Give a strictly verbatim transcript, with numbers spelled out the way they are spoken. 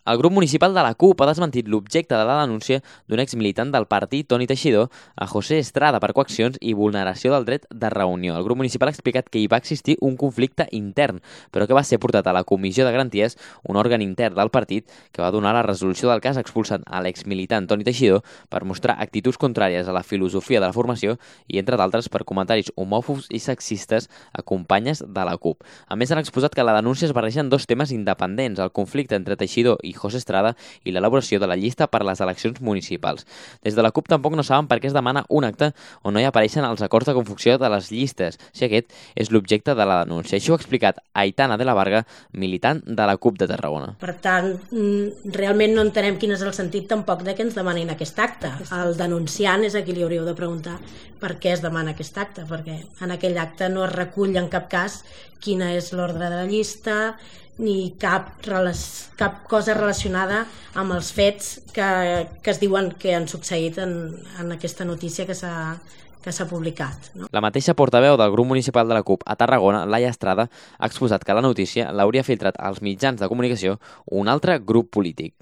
El grup municipal de la CUP ha desmentit l'objecte de la denúncia d'un exmilitant del partit, Toni Teixidor, a José Estrada per coaccions i vulneració del dret de reunió. El grup municipal ha explicat que hi va existir un conflicte intern, però que va ser portat a la Comissió de Garanties, un òrgan intern del partit, que va donar la resolució del cas expulsant a l'exmilitant Toni Teixidor per mostrar actituds contràries a la filosofia de la formació i, entre d'altres, per comentaris homòfobs i sexistes a companyes de la CUP. A més, han exposat que la denúncia es barreja en dos temes independents, el conflicte entre Teixidor i José Estrada i l'elaboració de la llista per les eleccions municipals. Des de la CUP tampoc no saben per què es demana un acte on no hi apareixen els acords de confecció de les llistes, si aquest és l'objecte de la denúncia. Això ho ha explicat Aitana de la Varga, militant de la CUP de Tarragona. Per tant, realment no entenem quin és el sentit tampoc de que ens demanin aquest acte. El denunciant és a qui li hauríeu de preguntar per què es demana aquest acte, perquè en aquell acte no es recull en cap cas quina és l'ordre de la llista, ni cap, cap cosa relacionada amb els fets que, que es diuen que han succeït en, en aquesta notícia que s'ha que s'ha publicat. No? La mateixa portaveu del grup municipal de la CUP a Tarragona, Laia Estrada, ha exposat que la notícia l'hauria filtrat als mitjans de comunicació un altre grup polític.